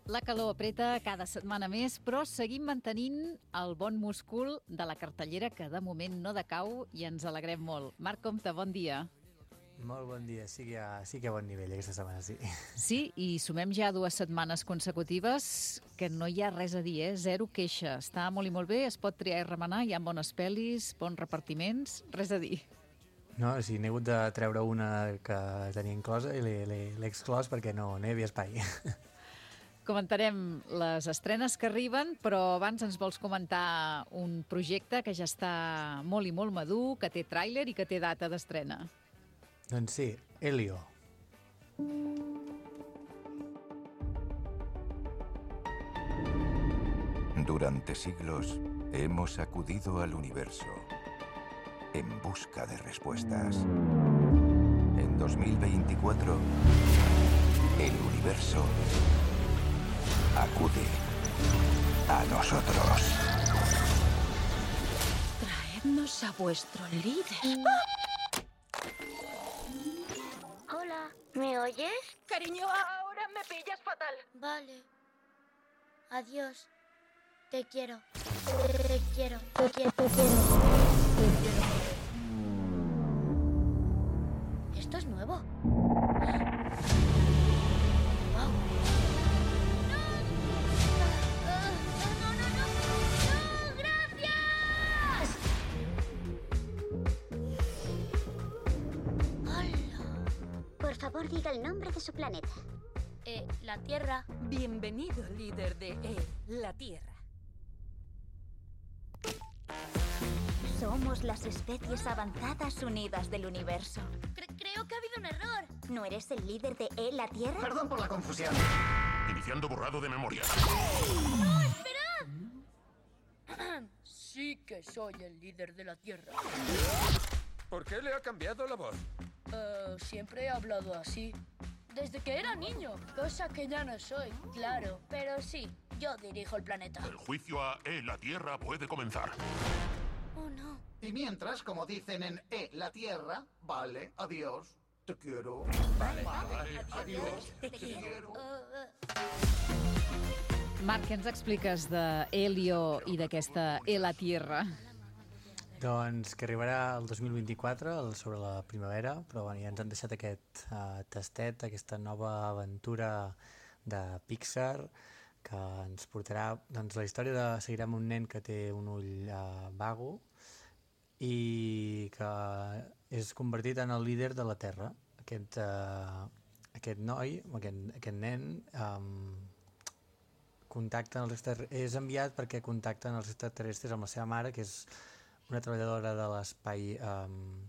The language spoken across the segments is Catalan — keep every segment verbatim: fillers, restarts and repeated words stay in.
La calor apreta cada setmana més, però seguim mantenint el bon múscul de la cartellera que de moment no decau i ens alegrem molt. Marc Comte, bon dia. Molt bon dia, sí que hi ha, sí que hi ha bon nivell aquesta setmana, sí. Sí, i sumem ja dues setmanes consecutives que no hi ha res a dir, eh? Zero queixa. Està molt i molt bé, es pot triar i remenar, hi ha bones pel·lis, bons repartiments, res a dir. No, sí, n'he hagut de treure una que tenia inclosa i l'he l'he- l'he exclòs perquè no, no hi havia espai. Comentarem les estrenes que arriben, però abans ens vols comentar un projecte que ja està molt i molt madur, que té tràiler i que té data d'estrena. Doncs sí, Elio. Durante siglos hemos acudido al universo en busca de respuestas. En dos mil veinticuatro, el universo acude a nosotros. Traednos a vuestro líder. Hola, ¿me oyes? Cariño, ahora me pillas fatal. Vale. Adiós. Te quiero. Te quiero. Te quiero. Te quiero. ¿Esto es nuevo? Wow. ¡No! ¡No, no, no! ¡No! ¡Gracias! ¡Hola! Por favor, diga el nombre de su planeta. Eh, la Tierra. Bienvenido, líder de E, la Tierra. Somos las especies avanzadas unidas del universo. Cre- creo que ha habido un error. ¿No eres el líder de E, la Tierra? Perdón por la confusión. Iniciando borrado de memoria. ¡No, esperad! Sí que soy el líder de la Tierra. ¿Por qué le ha cambiado la voz? Eh, siempre he hablado así. Desde que era niño, cosa que ya no soy, claro. Pero sí, yo dirijo el planeta. El juicio a E, la Tierra puede comenzar. Oh, no. Y mientras, como dicen en E, la Tierra, vale, adiós, te quiero. Vale. Vale, adiós, te quiero. Uh, Marc, què ens expliques d'Helio i d'aquesta E la Tierra? Doncs que arribarà el dos mil vint-i-quatre, el sobre la primavera, però bueno, ja ens han deixat aquest uh, tastet, aquesta nova aventura de Pixar, que ens portarà, doncs la història de seguirem un nen que té un ull uh, vago i que és convertit en el líder de la Terra. Aquest, uh, aquest noi, aquest, aquest nen, um, contacta els extraterrestres, és enviat perquè contacten els extraterrestres amb la seva mare, que és una treballadora de l'espai um,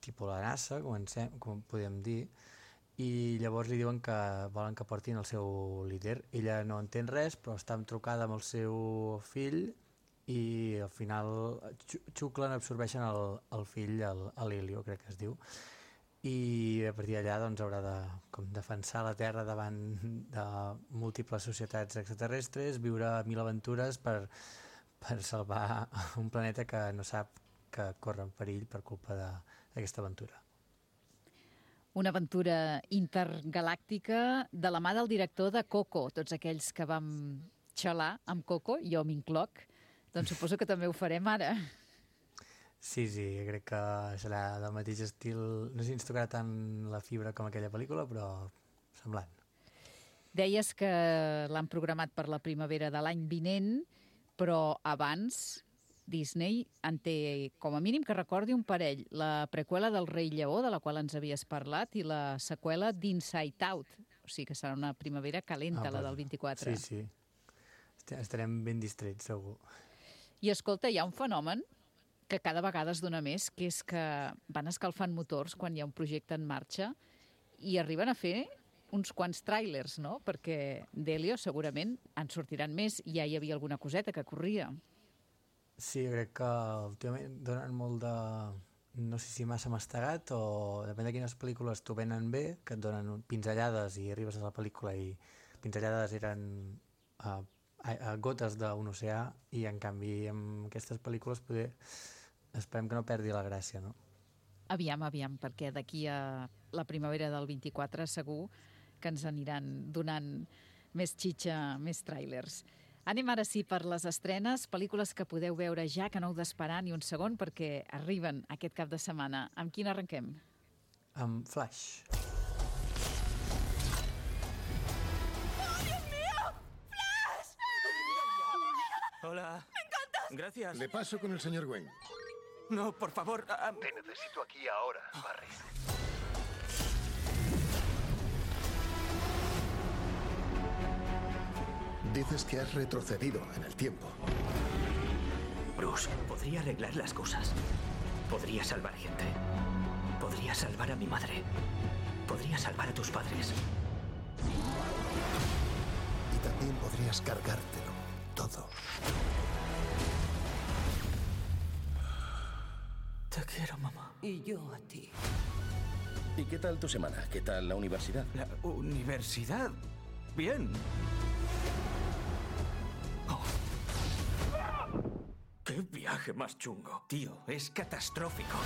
tipus la NASA, comencem, com podem dir, i llavors li diuen que volen que portin el seu líder. Ella no entén res, però està trucada amb el seu fill i al final xuclen, absorbeixen el, el fill, l'Helio, crec que es diu, i a partir d'allà doncs, haurà de com, defensar la Terra davant de múltiples societats extraterrestres, viure mil aventures per, per salvar un planeta que no sap que corre en perill per culpa d'aquesta aventura. Una aventura intergalàctica de la mà del director de Coco. Tots aquells que vam xalar amb Coco, jo m'incloc, doncs suposo que també ho farem ara. Sí, sí, crec que serà del mateix estil. No sé si ens tocarà tant la fibra com aquella pel·lícula, però semblant. Deies que l'han programat per la primavera de l'any vinent, però abans Disney en té, com a mínim que recordi, un parell. La preqüela del Rei Lleó, de la qual ens havies parlat, i la seqüela d'Inside Out. O sigui que serà una primavera calenta, ah, la del vint-i-quatre. Sí, sí. Estarem ben distrets, segur. I escolta, hi ha un fenomen que cada vegada es dona més, que és que van escalfant motors quan hi ha un projecte en marxa i arriben a fer uns quants tràilers, no? Perquè d'Helio segurament en sortiran més. Ja hi havia alguna coseta que corria. Sí, crec que últimament donen molt de... no sé si massa mastegat o depèn de quines pel·lícules t'ho venen bé, que et donen pinzellades i arribes a la pel·lícula i pinzellades eren uh, a, a gotes d'un oceà i en canvi amb aquestes pel·lícules poder... esperem que no perdi la gràcia, no? Aviam, aviam, perquè d'aquí a la primavera del vint-i-quatre segur que ens aniran donant més xitxa, més tràilers. Anem ara sí per les estrenes, pel·lícules que podeu veure ja, que no heu d'esperar ni un segon, perquè arriben aquest cap de setmana. Amb quina arrenquem? Amb Flash. Hola. ¡Me encantas! Gracias. Le paso con el señor Wayne. No, por favor. Uh, Te necesito aquí ahora, Barry. Dices que has retrocedido en el tiempo. Bruce, podría arreglar las cosas. Podría salvar gente. Podría salvar a mi madre. Podría salvar a tus padres. Y también podrías cargártelo todo. Te quiero, mamá. Y yo a ti. ¿Y qué tal tu semana? ¿Qué tal la universidad? ¿La universidad? Bien. Oh. ¡Qué viaje más chungo! Tío, es catastrófico.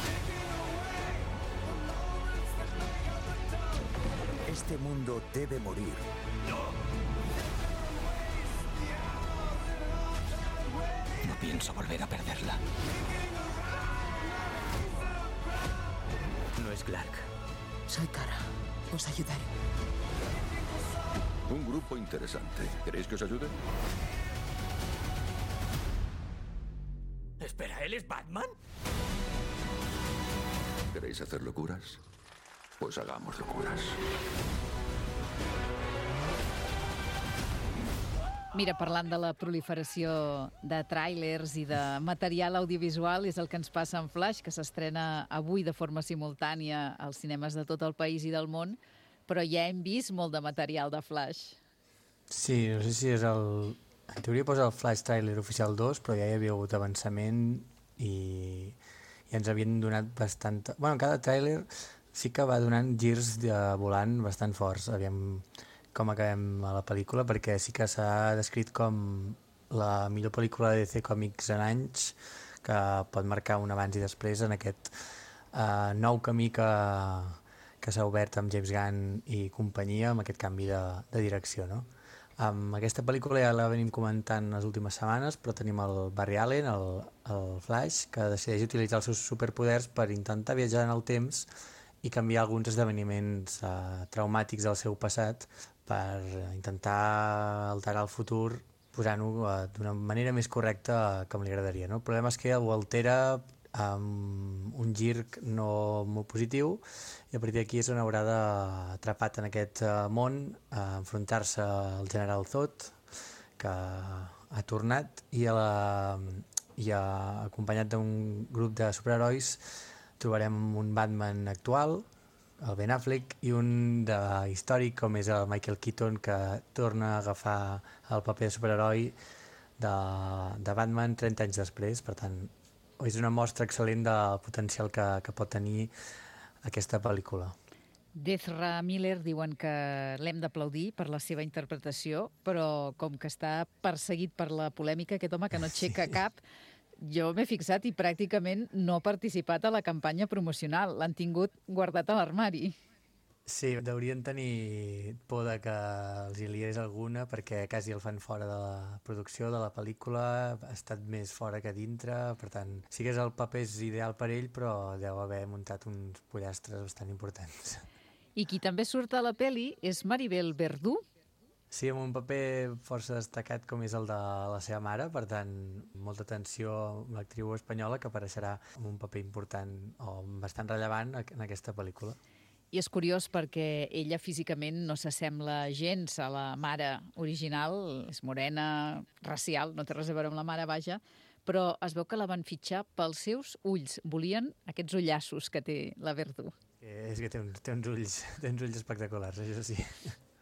Este mundo debe morir. ¡No! No pienso volver a perderla. No es Clark. Soy Kara. Os ayudaré. Un grupo interesante. ¿Queréis que os ayude? Espera, ¿él es Batman? ¿Queréis hacer locuras? Pues hagamos locuras. Mira, parlant de la proliferació de tràilers i de material audiovisual, és el que ens passa en Flash, que s'estrena avui de forma simultània als cinemes de tot el país i del món, però ja hem vist molt de material de Flash. Sí, no sé si és el... En teoria posa el Flash Trailer oficial dos, però ja hi havia hagut avançament i, i ens havien donat bastant... Bueno, cada tràiler sí que va donant girs de volant bastant forts. Aviam com acabem a la pel·lícula, perquè sí que s'ha descrit com la millor pel·lícula de D C Comics en anys, que pot marcar un abans i després en aquest uh, nou camí que, que s'ha obert amb James Gunn i companyia, amb aquest canvi de, de direcció, no? Um, aquesta pel·lícula ja la venim comentant les últimes setmanes, però tenim el Barry Allen, el, el Flash, que decideix utilitzar els seus superpoders per intentar viatjar en el temps i canviar alguns esdeveniments uh, traumàtics del seu passat per intentar alterar el futur posant-ho uh, d'una manera més correcta com li agradaria, no? El problema és que ho altera amb un gir no molt positiu i a partir d'aquí és on haurà d'atrapat en aquest uh, món a enfrontar-se al general Zod, que ha tornat, i, a la, i a, acompanyat d'un grup de superherois trobarem un Batman actual, el Ben Affleck, i un de històric com és el Michael Keaton, que torna a agafar el paper de superheroi de, de Batman trenta anys després. Per tant, és una mostra excel·lent del potencial que, que pot tenir aquesta pel·lícula. Ezra Miller diuen que l'hem d'aplaudir per la seva interpretació, però com que està perseguit per la polèmica, aquest home que no aixeca sí. cap, jo m'he fixat i pràcticament no ha participat a la campanya promocional. L'han tingut guardat a l'armari. Sí, deurien tenir por de que els hi liés alguna, perquè quasi el fan fora de la producció de la pel·lícula, ha estat més fora que dintre, per tant, sí que és el paper és ideal per ell, però deu haver muntat uns pollastres bastant importants. I qui també surt a la pel·li és Maribel Verdú. Sí, amb un paper força destacat com és el de la seva mare, per tant, molta atenció amb l'actriu espanyola, que apareixerà amb un paper important o bastant rellevant en aquesta pel·lícula. I és curiós perquè ella físicament no s'assembla gens a la mare original, és morena, racial, no té res a veure amb la mare, vaja, però es veu que la van fitxar pels seus ulls. Volien aquests ullassos que té la Verdú. És que té uns, té uns, ulls, té uns ulls espectaculars, això sí.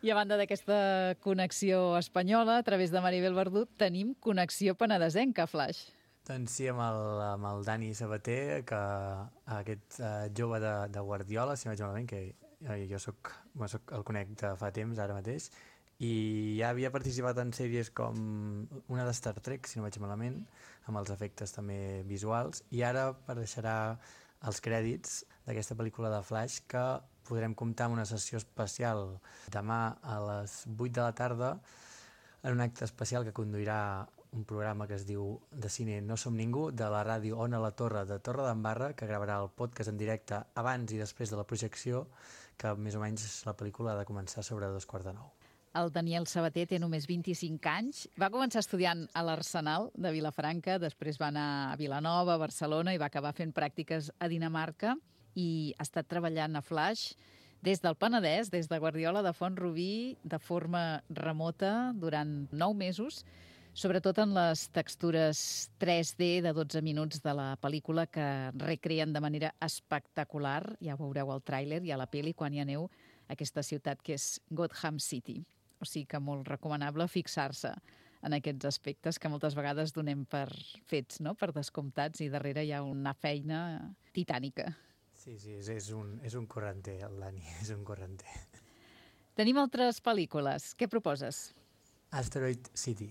I a banda d'aquesta connexió espanyola, a través de Maribel Verdú, tenim connexió penedesenca, Flash. Doncs sí, amb el, amb el Dani Sabater, que aquest uh, jove de, de Guardiola, si no vaig malament, que jo, jo soc, soc, el conec de fa temps, ara mateix, i ja havia participat en sèries com una de Star Trek, si no vaig malament, amb els efectes també visuals, i ara apareixerà els crèdits d'aquesta pel·lícula de Flash, que podrem comptar amb una sessió especial demà a les vuit de la tarda en un acte especial que conduirà un programa que es diu de cine No som ningú, de la ràdio Ona la Torre de Torredembarra, que gravarà el podcast en directe abans i després de la projecció, que més o menys la pel·lícula ha de començar sobre dos quarts de nou. El Daniel Sabater té només vint-i-cinc anys. Va començar estudiant a l'Arsenal de Vilafranca, després va anar a Vilanova, a Barcelona, i va acabar fent pràctiques a Dinamarca i ha estat treballant a Flash des del Penedès, des de Guardiola de Font-rubí, de forma remota durant nou mesos, sobretot en les textures tres D de dotze minuts de la pel·lícula que recreen de manera espectacular, ja ho veureu al tràiler i a la pel·li quan hi aneu a aquesta ciutat que és Gotham City. O sigui que molt recomanable fixar-se en aquests aspectes que moltes vegades donem per fets, no? Per descomptats, i darrere hi ha una feina titànica. Sí, sí, és, és, un, és un correnter, el Dani, és un correnter. Tenim altres pel·lícules. Què proposes? Asteroid City.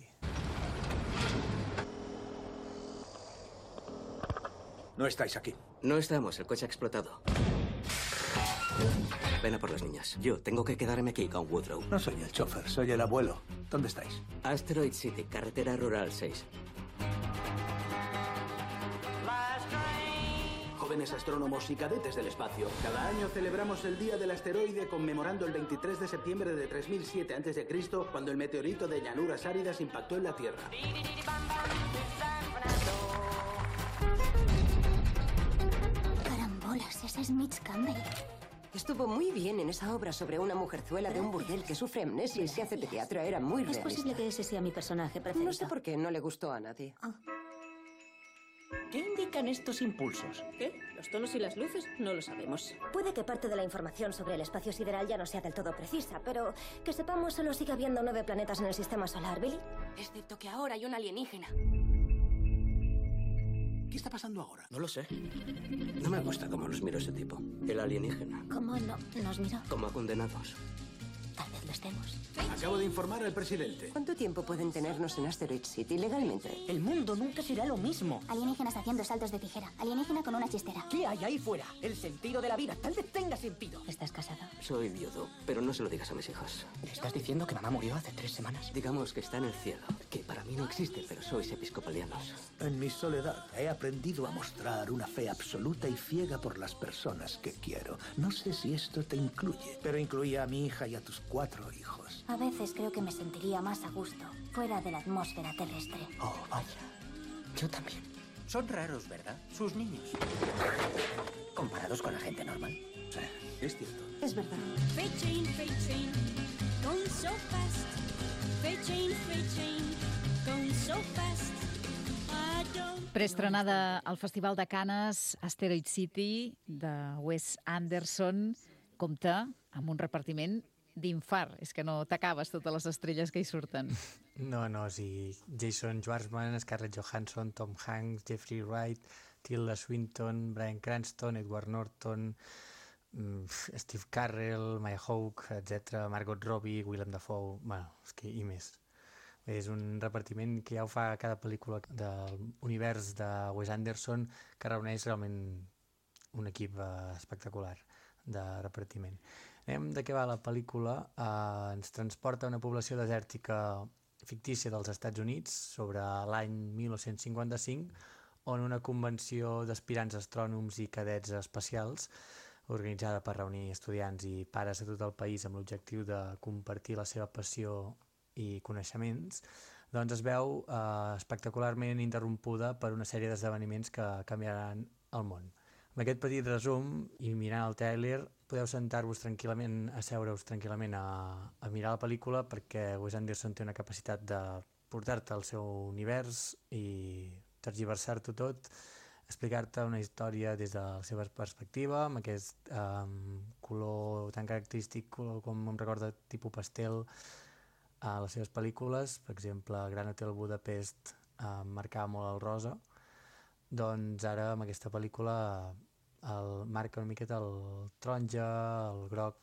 No estáis aquí. No estamos, el coche ha explotado. Ven a por las niñas. Yo tengo que quedarme aquí con Woodrow. No soy el chofer, soy el abuelo. ¿Dónde estáis? Asteroid City, carretera rural seis. Jóvenes astrónomos y cadetes del espacio. Cada año celebramos el Día del Asteroide conmemorando el veintitrés de septiembre de tres mil siete antes de Cristo, cuando el meteorito de llanuras áridas impactó en la Tierra. Carambolas, ese es Mitch Campbell. Estuvo muy bien en esa obra sobre una mujerzuela de un burdel que sufre amnesia y se hace pediatra. Era muy realista. Es posible que ese sea mi personaje preferido. No sé por qué, no le gustó a nadie. Oh. ¿Qué indican estos impulsos? ¿Qué? ¿Los tonos y las luces? No lo sabemos. Puede que parte de la información sobre el espacio sideral ya no sea del todo precisa, pero que sepamos solo sigue habiendo nueve planetas en el sistema solar, ¿Billy? Excepto que ahora hay un alienígena. ¿Qué está pasando ahora? No lo sé. No me gusta cómo los miro ese tipo. El alienígena. ¿Cómo no nos miró? Como a condenados. Tal vez lo estemos. Acabo de informar al presidente. ¿Cuánto tiempo pueden tenernos en Asteroid City legalmente? El mundo nunca será lo mismo. Alienígenas haciendo saltos de tijera. Alienígena con una chistera. ¿Qué hay ahí fuera? El sentido de la vida. Tal vez tenga sentido. ¿Estás casado? Soy viudo, pero no se lo digas a mis hijos. ¿Le estás diciendo que mamá murió hace tres semanas? Digamos que está en el cielo, que para mí no existe, pero sois episcopalianos. En mi soledad he aprendido a mostrar una fe absoluta y ciega por las personas que quiero. No sé si esto te incluye, pero incluía a mi hija y a tus cuatro hijos. A veces creo que me sentiría más a gusto fuera de la atmósfera terrestre. Oh, vaya. Yo también. Son raros, ¿verdad? Sus niños. Comparados con la gente normal. Sí, es cierto. Es verdad. Freight train, freight train, going so fast. Freight train, freight train, going so fast. I don't... Preestrenada al Festival de Canes, Asteroid City, de Wes Anderson, compta amb un repartiment d'infart. És que no t'acabes totes les estrelles que hi surten. No, no, sí. Jason Schwartzman, Scarlett Johansson, Tom Hanks, Jeffrey Wright, Tilda Swinton, Bryan Cranston, Edward Norton, Steve Carell, Maya Hawke, etcètera, Margot Robbie, Willem Dafoe, bueno, és que i més. És un repartiment que ja ho fa cada pel·lícula de l'univers de Wes Anderson, que reuneix realment un equip espectacular de repartiment. Anem de què va la pel·lícula. Eh, ens transporta a una població desèrtica fictícia dels Estats Units sobre l'any mil nou-cents cinquanta-cinc, on una convenció d'aspirants astrònoms i cadets espacials, organitzada per reunir estudiants i pares de tot el país amb l'objectiu de compartir la seva passió i coneixements, doncs es veu eh, espectacularment interrompuda per una sèrie d'esdeveniments que canviaran el món. Amb aquest petit resum i mirant el tràiler podeu sentar-vos tranquil·lament, asseure-us tranquil·lament a, a mirar la pel·lícula, perquè Wes Anderson té una capacitat de portar-te al seu univers i tergiversar-t'ho tot, explicar-te una història des de la seva perspectiva, amb aquest um, color tan característic com em recorda tipus pastel a les seves pel·lícules. Per exemple, Gran Hotel Budapest uh, marcava molt el rosa, doncs ara amb aquesta pel·lícula el marca una miqueta el taronja, el groc,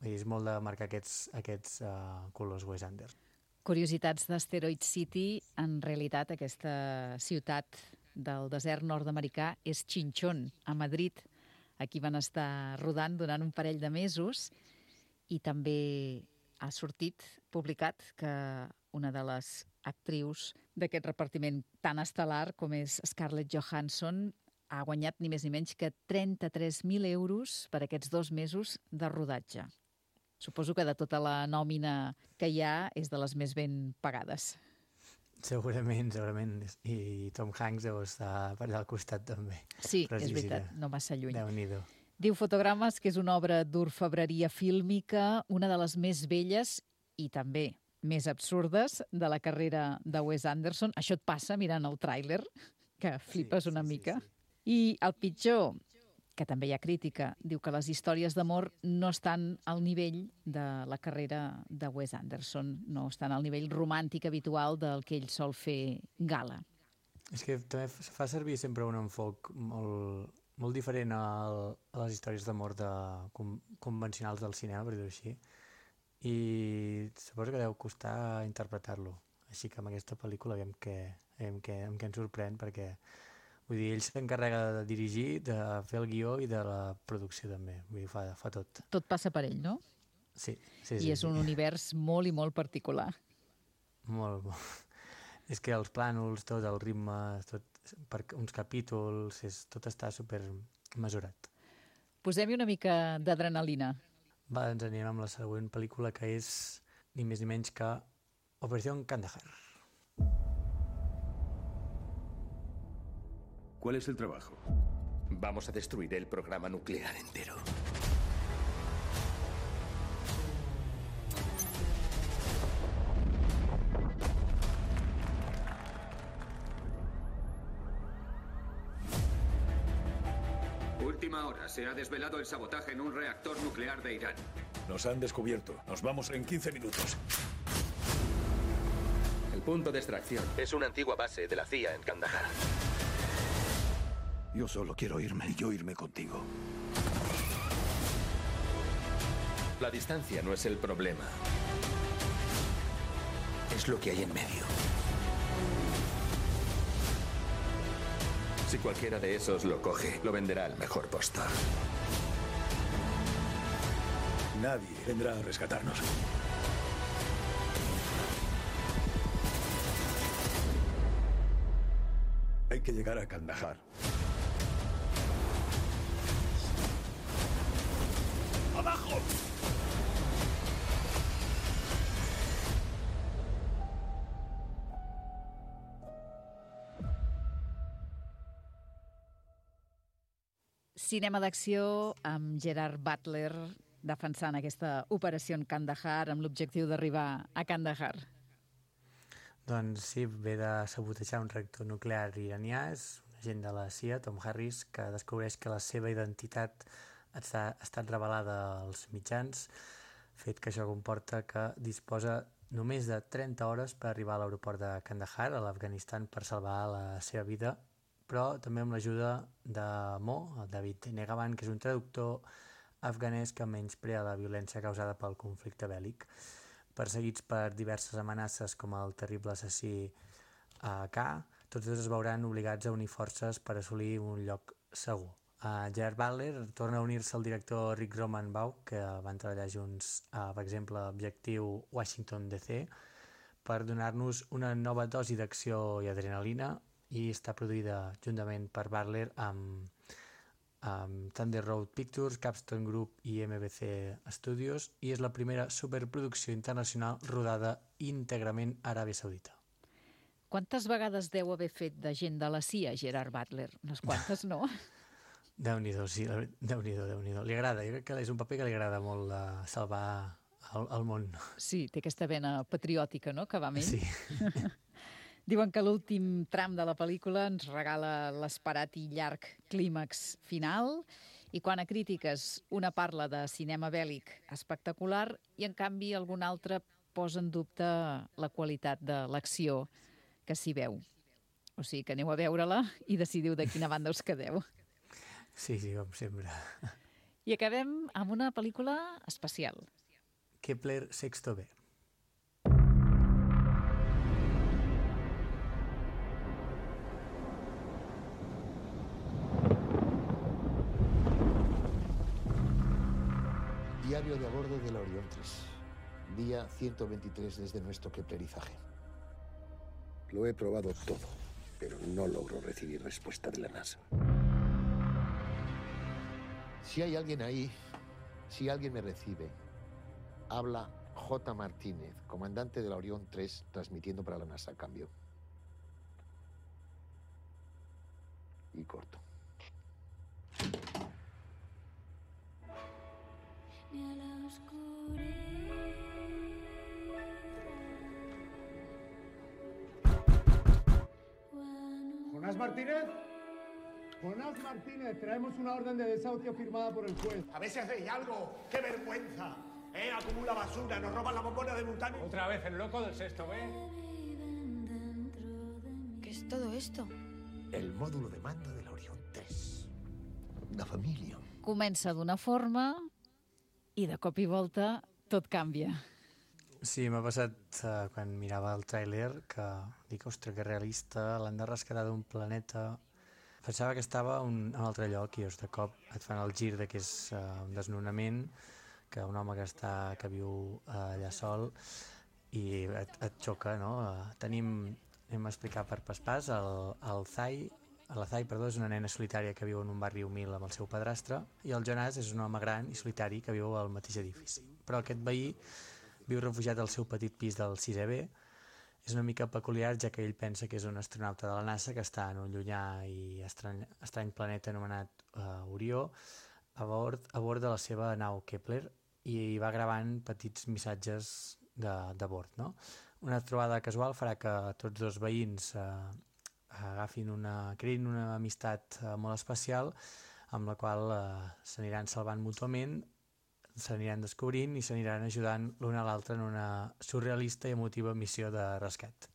és molt de marcar aquests, aquests uh, colors Wes Anderson. Curiositats d'Asteroid City, en realitat aquesta ciutat del desert nord-americà és Chinchón, a Madrid, Aquí van estar rodant durant un parell de mesos i també ha sortit, publicat, que una de les actrius d'aquest repartiment tan estel·lar com és Scarlett Johansson ha guanyat ni més ni menys que trenta-tres mil euros per aquests dos mesos de rodatge. Suposo que de tota la nòmina que hi ha és de les més ben pagades. Segurament, segurament. I Tom Hanks deu estar per allà al costat també. Sí, és veritat, no massa lluny. Déu-n'hi-do. Diu Fotogrames que és una obra d'orfebreria fílmica, una de les més belles i també més absurdes de la carrera de Wes Anderson. Això et passa mirant el tràiler, que flipes una mica. I el pitjor, que també hi ha crítica, diu que les històries d'amor no estan al nivell de la carrera de Wes Anderson, no estan al nivell romàntic habitual del que ell sol fer gala. És que també fa servir sempre un enfoc molt, molt diferent al, a les històries d'amor de, com, convencionals del cinema, per dir-ho així, i suposo que deu costar interpretar-lo. Així que amb aquesta pel·lícula veiem què, veiem què, amb què ens sorprèn, perquè vull dir, ell s'encarrega de dirigir, de fer el guió i de la producció també. Vull dir, fa, fa tot. Tot passa per ell, no? Sí. sí I sí, és sí. un univers molt i molt particular. Molt, molt. És que els plànols, tot, el ritme, tot, per uns capítols, és, tot està super mesurat. Posem-hi una mica d'adrenalina. Va, ens anirem amb la següent pel·lícula, que és ni més ni menys que Operació Kandahar. ¿Cuál es el trabajo? Vamos a destruir el programa nuclear entero. Última hora. Se ha desvelado el sabotaje en un reactor nuclear de Irán. Nos han descubierto. Nos vamos en quince minutos. El punto de extracción Es una antigua base de la C I A en Kandahar. Yo solo quiero irme y yo irme contigo. La distancia no es el problema. Es lo que hay en medio. Si cualquiera de esos lo coge, lo venderá al mejor postor. Nadie vendrá a rescatarnos. Hay que llegar a Kandahar. ¡Abajo! Cinema d'acció amb Gerard Butler defensant aquesta operació en Kandahar amb l'objectiu d'arribar a Kandahar. Doncs sí, ve de sabotejar un reactor nuclear iranià, és un agent de la C I A, Tom Harris, que descobreix que la seva identitat ha estat revelada als mitjans, fet que això comporta que disposa només de trenta hores per arribar a l'aeroport de Kandahar, a l'Afganistan, per salvar la seva vida, però també amb l'ajuda de Mo, el David Negavan, que és un traductor afganès que menysprea la violència causada pel conflicte bèl·lic. Perseguits per diverses amenaces com el terrible assassí K, tots dos es veuran obligats a unir forces per assolir un lloc segur. Uh, Gerard Butler torna a unir-se al director Rick Romanbaugh, que van treballar junts, uh, per exemple, a Objectiu Washington D C, per donar-nos una nova dosi d'acció i adrenalina, i està produïda juntament per Butler amb, amb Thunder Road Pictures, Capstone Group i M B C Studios, i és la primera superproducció internacional rodada íntegrament a Aràbia Saudita. Quantes vegades deu haver fet de gent de la C I A, Gerard Butler? Unes quantes, no? Déu-n'hi-do, sí, Déu-n'hi-do, Déu-n'hi-do. Li agrada, jo crec que és un paper que li agrada molt de salvar el, el món. Sí, té aquesta vena patriòtica, no?, que va amb ell. Sí. Diuen que l'últim tram de la pel·lícula ens regala l'esperat i llarg clímax final, i quan a crítiques una parla de cinema bèl·lic espectacular i en canvi algun altre posa en dubte la qualitat de l'acció que s'hi veu. O sigui que aneu a veure-la i decidiu de quina banda us quedeu. Sí, sí, com sempre. I acabem amb una pel·lícula especial. Kepler Sexto B. mando de la Orión tres. Día ciento veintitrés desde nuestro keplerizaje. Lo he probado todo, pero no logro recibir respuesta de la NASA. Si hay alguien ahí, si alguien me recibe, habla J. Martínez, comandante de la Orión tres, transmitiendo para la NASA. Cambio. Y corto. ¿Jonás Martínez? Jonás Martínez, traemos una orden de desahucio firmada por el juez. A ver si hacéis algo. ¡Qué vergüenza! ¿Eh? Acumula basura, nos roban la bombona de Multani. Otra vez el loco del sexto B. ¿Qué es todo esto? El módulo de mando de la Orión tres. Una família. Comença d'una forma i de cop i volta tot canvia. Sí, m'ha passat uh, quan mirava el tràiler que dic, ostres, que realista, l'han de rescatar d'un planeta. Pensava que estava un, en un altre lloc i de cop et fan el gir de que és uh, un desnonament, que un home que, està, que viu uh, allà sol i et, et xoca, no? Uh, tenim, anem a explicar per pas pas, el, el Zai, la Zai, perdó, és una nena solitària que viu en un barri humil amb el seu padrastre i el Jonàs és un home gran i solitari que viu al mateix edifici. Però aquest veí viu refugiat al seu petit pis del sisè B. És una mica peculiar, ja que ell pensa que és un astronauta de la NASA que està en un llunyà i estrany, estrany planeta anomenat uh, Orió a bord, a bord de la seva nau Kepler i va gravant petits missatges de, de bord. No? Una trobada casual farà que tots dos veïns uh, agafin una, creïn una amistat uh, molt especial amb la qual uh, s'aniran salvant mútuament, s'aniran descobrint i s'aniran ajudant l'un a l'altre en una surrealista i emotiva missió de rescat.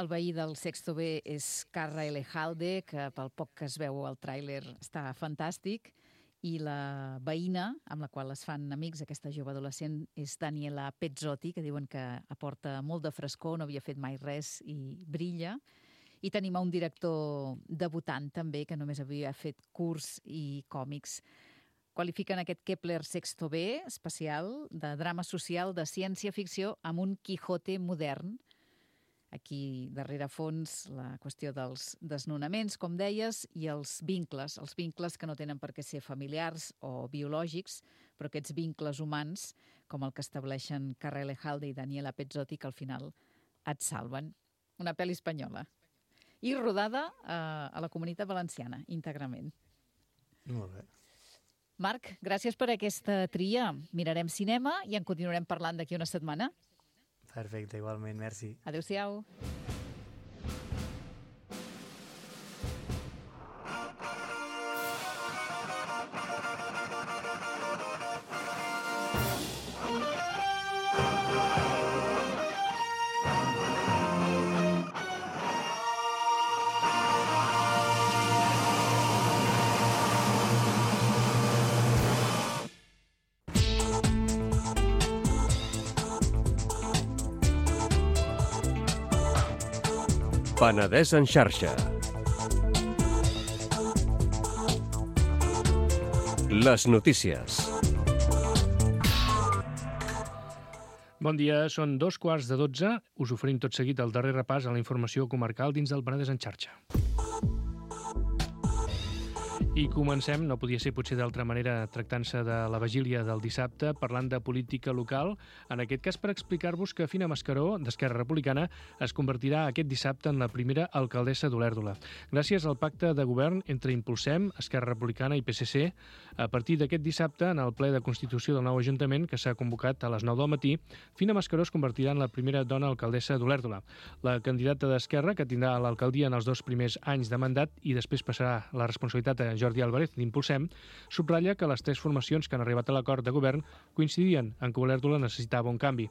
El veí del sexto B és Carra Elejalde, que pel poc que es veu al tràiler està fantàstic, i la veïna amb la qual es fan amics, aquesta jove adolescent, és Daniela Pezzotti, que diuen que aporta molt de frescor, no havia fet mai res i brilla. I tenim un director debutant també, que només havia fet curs i còmics. Qualifiquen aquest Kepler Sexto B especial de drama social de ciència-ficció amb un Quijote modern. Aquí, darrere fons, la qüestió dels desnonaments, com deies, i els vincles, els vincles que no tenen per què ser familiars o biològics, però aquests vincles humans, com el que estableixen Carra Elejalde i Daniela Pezzotti, que al final et salven. Una pel·li espanyola. I rodada eh, a la Comunitat Valenciana, íntegrament. Molt bé. Marc, gràcies per aquesta tria. Mirarem cinema i en continuarem parlant d'aquí una setmana. Perfecte, igualment, merci. Adéu-siau. Penedès en xarxa. Les notícies. Bon dia, són dos quarts de dotze. Us oferim tot seguit el darrer repàs a la informació comarcal dins del Penedès en xarxa. I comencem, no podia ser potser d'altra manera, tractant-se de la vigília del dissabte, parlant de política local, en aquest cas per explicar-vos que Fina Mascaró, d'Esquerra Republicana, es convertirà aquest dissabte en la primera alcaldessa d'Olèrdola. Gràcies al pacte de govern entre Impulsem, Esquerra Republicana i P S C, a partir d'aquest dissabte, en el ple de Constitució del nou Ajuntament, que s'ha convocat a les nou del matí, Fina Mascaró es convertirà en la primera dona alcaldessa d'Olèrdola. La candidata d'Esquerra, que tindrà l'alcaldia en els dos primers anys de mandat i després passarà la responsabilitat a Jordi Álvarez d'Impulsem, subratlla que les tres formacions que han arribat a l'acord de govern coincidien en que Olèrdola necessitava un canvi.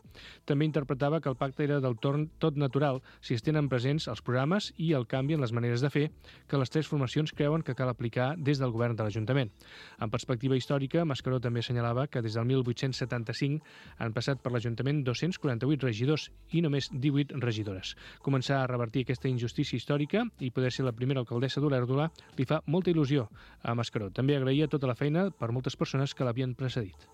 També interpretava que el pacte era del torn tot natural si es tenen presents els programes i el canvi en les maneres de fer que les tres formacions creuen que cal aplicar des del govern de l'Ajuntament. En perspectiva històrica, Mascaró també assenyalava que des del mil vuit-cents setanta-cinc han passat per l'Ajuntament dos-cents quaranta-vuit regidors i només divuit regidores. Començar a revertir aquesta injustícia històrica i poder ser la primera alcaldessa d'Olèrdola li fa molta il·lusió a Mascaró. També agraïa tota la feina per moltes persones que l'havien precedit.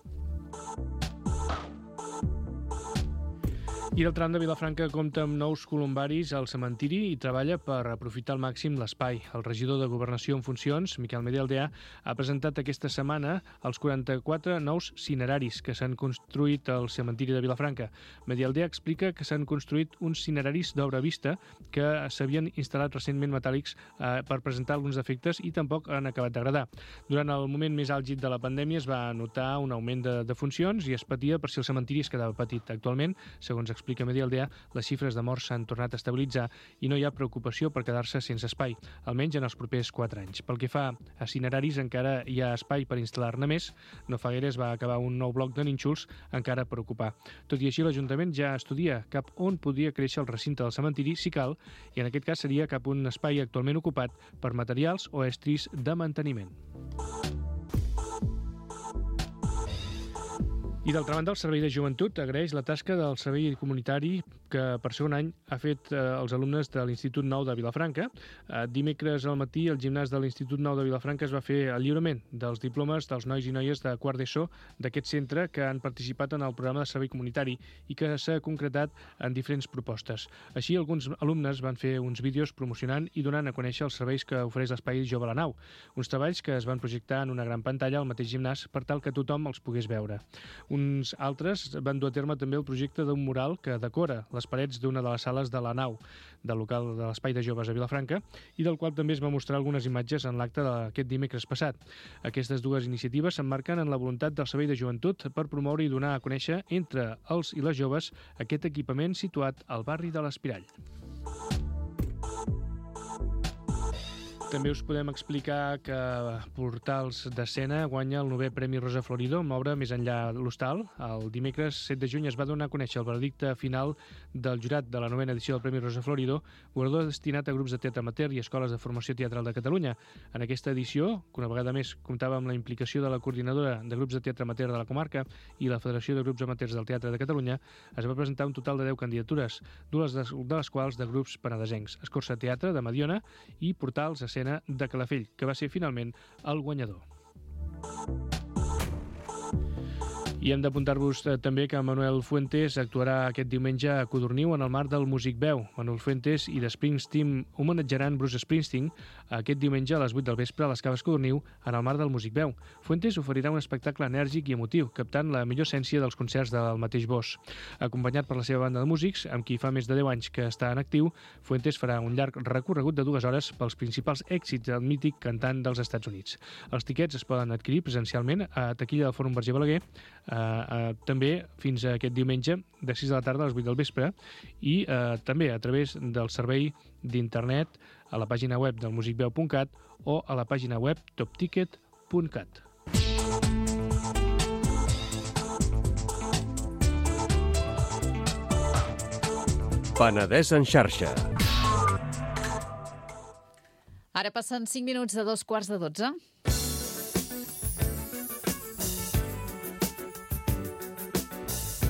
I el tram de Vilafranca compta amb nous columbaris al cementiri i treballa per aprofitar al màxim l'espai. El regidor de Governació en funcions, Miquel Medialdea, ha presentat aquesta setmana els quaranta-quatre nous cineraris que s'han construït al cementiri de Vilafranca. Medialdea explica que s'han construït uns cineraris d'obra vista que s'havien instal·lat recentment metàl·lics eh, per presentar alguns defectes i tampoc han acabat d'agradar. Durant el moment més àlgid de la pandèmia es va notar un augment de, de funcions i es patia per si el cementiri es quedava petit. Actualment, segons explica explica Medialdea, les xifres de morts s'han tornat a estabilitzar i no hi ha preocupació per quedar-se sense espai, almenys en els propers quatre anys. Pel que fa a cineraris, encara hi ha espai per instal·lar-ne més. No fa gaire es va acabar un nou bloc de nínxols encara per ocupar. Tot i així, l'Ajuntament ja estudia cap on podria créixer el recinte del cementiri, si cal, i en aquest cas seria cap un espai actualment ocupat per materials o estris de manteniment. I d'altra banda, el Servei de Joventut agraeix la tasca del Servei Comunitari que per segon any ha fet eh, els alumnes de l'Institut Nou de Vilafranca. Eh, dimecres al matí, al gimnàs de l'Institut Nou de Vilafranca es va fer el lliurament dels diplomes dels nois i noies de quart d'ESO d'aquest centre que han participat en el programa de servei comunitari i que s'ha concretat en diferents propostes. Així, alguns alumnes van fer uns vídeos promocionant i donant a conèixer els serveis que ofereix l'Espai Jove a la Nau, uns treballs que es van projectar en una gran pantalla al mateix gimnàs per tal que tothom els pogués veure. Uns altres van dur a terme també el projecte d'un mural que decora les parets d'una de les sales de la Nau, del local de l'Espai de Joves a Vilafranca, i del qual també es va mostrar algunes imatges en l'acte d'aquest dimecres passat. Aquestes dues iniciatives s'emmarquen en la voluntat del Servei de Joventut per promoure i donar a conèixer entre els i les joves aquest equipament situat al barri de l'Espirall. També us podem explicar que Portals d'Escena guanya el novè Premi Rosa Florido amb l'obra Més enllà l'hostal. El dimecres set de juny es va donar a conèixer el veredicte final del jurat de la novena edició del Premi Rosa Florido, guardó destinat a grups de teatre amateur i escoles de formació teatral de Catalunya. En aquesta edició, que una vegada més comptava amb la implicació de la coordinadora de grups de teatre amateur de la comarca i la Federació de Grups Amateurs del Teatre de Catalunya, es va presentar un total de deu candidatures, dues de les quals de grups penedesencs, Escorça Teatre de Mediona i Portals Escena de Calafell, que va ser finalment el guanyador. I hem d'apuntar-vos eh, també que Manuel Fuentes actuarà aquest diumenge a Codorniu en el marc del Music Veu. Manuel Fuentes i The Springsteen homenatjaran Bruce Springsteen aquest diumenge a les vuit del vespre a les Caves Codorniu en el marc del Music Veu. Fuentes oferirà un espectacle enèrgic i emotiu, captant la millor essència dels concerts del mateix Bosch. Acompanyat per la seva banda de músics, amb qui fa més de deu anys que està en actiu, Fuentes farà un llarg recorregut de dues hores pels principals èxits del mític cantant dels Estats Units. Els tiquets es poden adquirir presencialment a taquilla del Fòrum Verger Balaguer, eh, eh, també fins a aquest diumenge de sis de la tarda a les vuit del vespre i eh, també a través del servei d'internet a la pàgina web del musicveu punt cat o a la pàgina web topticket punt cat. Penedès en xarxa. Ara passen cinc minuts de dos quarts de dotze.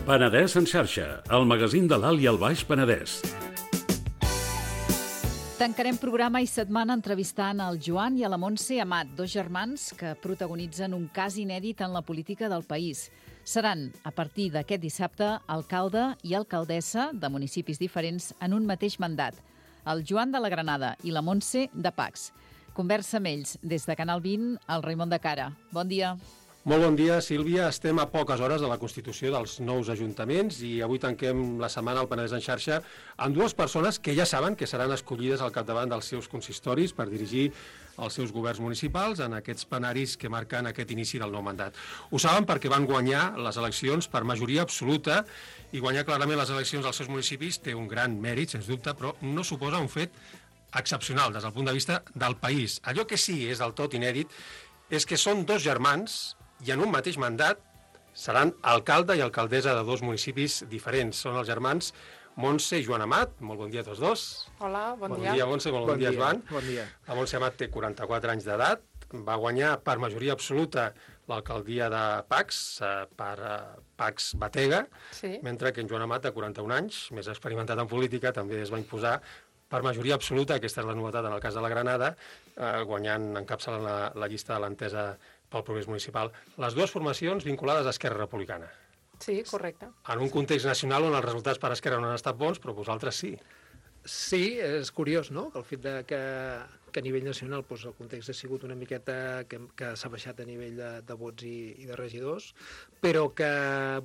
Penedès en xarxa, el magazín de l'Alt i el Baix Penedès. Tancarem programa i setmana entrevistant el Joan i a la Montse Amat, dos germans que protagonitzen un cas inèdit en la política del país. Seran, a partir d'aquest dissabte, alcalde i alcaldessa de municipis diferents en un mateix mandat. El Joan de la Granada i la Montse de Pacs. Conversa amb ells des de Canal vint, el Raimon de Cara. Bon dia. Molt bon dia, Sílvia. Estem a poques hores de la constitució dels nous ajuntaments i avui tanquem la setmana al Penedès en xarxa amb dues persones que ja saben que seran escollides al capdavant dels seus consistoris per dirigir els seus governs municipals en aquests plenaris que marquen aquest inici del nou mandat. Ho saben perquè van guanyar les eleccions per majoria absoluta i guanyar clarament les eleccions als seus municipis té un gran mèrit, sens dubte, però no suposa un fet excepcional des del punt de vista del país. Allò que sí és del tot inèdit és que són dos germans i en un mateix mandat seran alcalde i alcaldessa de dos municipis diferents. Són els germans Montse i Joan Amat. Molt bon dia a tots dos. Hola, bon, bon dia. Bon dia, Montse, molt bon, bon dia, dia, Joan. Bon dia. La Montse Amat té quaranta-quatre anys d'edat, va guanyar per majoria absoluta l'alcaldia de Pacs, eh, per eh, Pacs Batega, sí. Mentre que en Joan Amat, de quaranta-un anys, més experimentat en política, també es va imposar per majoria absoluta, aquesta és la novetat en el cas de la Granada, eh, guanyant, encapçalant la, la llista de l'entesa pel progrés municipal. Les dues formacions vinculades a Esquerra Republicana. Sí, correcte. En un context nacional on els resultats per Esquerra no han estat bons, però vosaltres sí. Sí, és curiós, no?, el fet de que, que a nivell nacional doncs, el context ha sigut una miqueta que, que s'ha baixat a nivell de, de vots i, i de regidors, però que,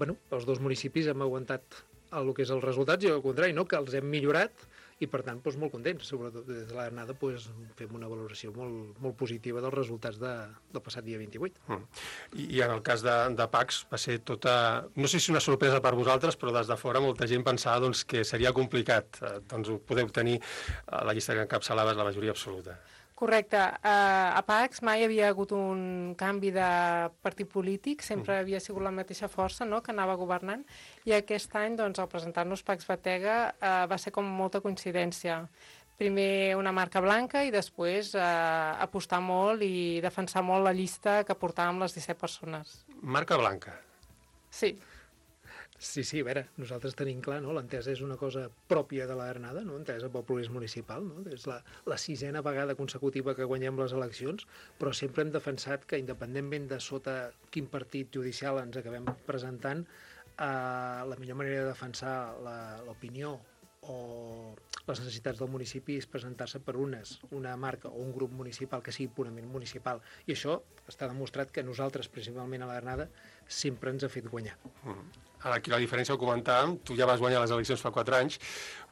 bueno, els dos municipis hem aguantat el que és els resultats i al contrari, no?, que els hem millorat i, per tant, doncs, molt contents. Sobretot des de l'Arnada doncs, fem una valoració molt, molt positiva dels resultats de, del passat dia vint-i-vuit. Mm. I, I en el cas de, de Pacs va ser tota... No sé si una sorpresa per vosaltres, però des de fora molta gent pensava doncs, que seria complicat. Eh, doncs podeu tenir a la llista que encapçalaves la majoria absoluta. Correcte. Uh, a Pacs mai havia hagut un canvi de partit polític, sempre havia sigut la mateixa força, no?, que anava governant, i aquest any, doncs, al presentar-nos Pacs Batega uh, va ser com molta coincidència. Primer una marca blanca i després uh, apostar molt i defensar molt la llista que portàvem les disset persones. Marca blanca. Sí. Sí, sí, a veure, nosaltres tenim clar, no?, l'Entesa és una cosa pròpia de l'Arnada, no?, Entesa pel progrés municipal, no?, és la, la sisena vegada consecutiva que guanyem les eleccions, però sempre hem defensat que, independentment de sota quin partit judicial ens acabem presentant, eh, la millor manera de defensar l'opinió o les necessitats del municipi és presentar-se per unes, una marca o un grup municipal que sigui purament municipal. I això està demostrat que nosaltres, principalment a l'Arnada, sempre ens ha fet guanyar. Mm. Ara, aquí la diferència ho comentàvem, tu ja vas guanyar les eleccions fa quatre anys,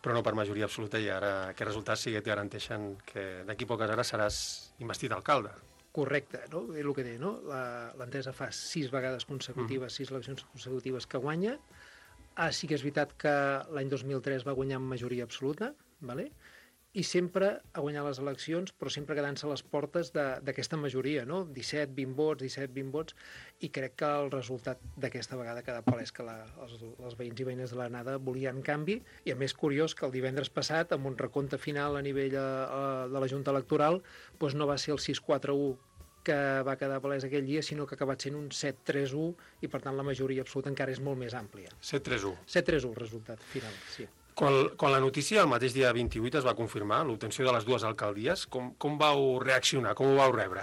però no per majoria absoluta, i ara aquests resultats sí que et garanteixen que d'aquí poques hores seràs investit alcalde. Correcte, no? És el que deia, no? L'Entesa fa sis vegades consecutives, mm. sis eleccions consecutives que guanya. Ah, sí que és veritat que l'any dos mil tres va guanyar amb majoria absoluta, vale? I sempre ha guanyat les eleccions, però sempre quedant-se a les portes d'aquesta majoria, no? disset, vint vots, disset, vint vots, i crec que el resultat d'aquesta vegada queda palès que la, els, els veïns i veïnes de l'Arnada volien canvi, i a més curiós que el divendres passat, amb un recompte final a nivell a, a, de la Junta Electoral, doncs no va ser el sis quatre u que va quedar palès aquell dia, sinó que ha acabat sent un set tres u, i per tant la majoria absoluta encara és molt més àmplia. set tres u. set tres u el resultat final, sí. Quan, quan la notícia el mateix dia vint-i-vuit es va confirmar, l'obtenció de les dues alcaldies, com, com vau reaccionar, com ho vau rebre?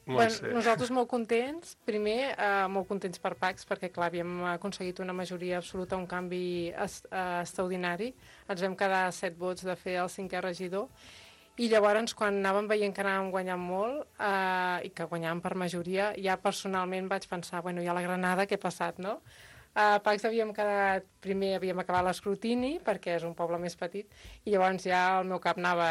Bueno, nosaltres molt contents, primer eh, molt contents per Pacs, perquè clar, havíem aconseguit una majoria absoluta, un canvi est extraordinari, ens vam quedar a set vots de fer el cinquè regidor, i llavors quan anàvem veient que anàvem guanyant molt eh, i que guanyàvem per majoria, ja personalment vaig pensar, bueno, ja la Granada, què ha passat, no? A Pacs havíem quedat, primer havíem acabat l'escrutini, perquè és un poble més petit, i llavors ja el meu cap anava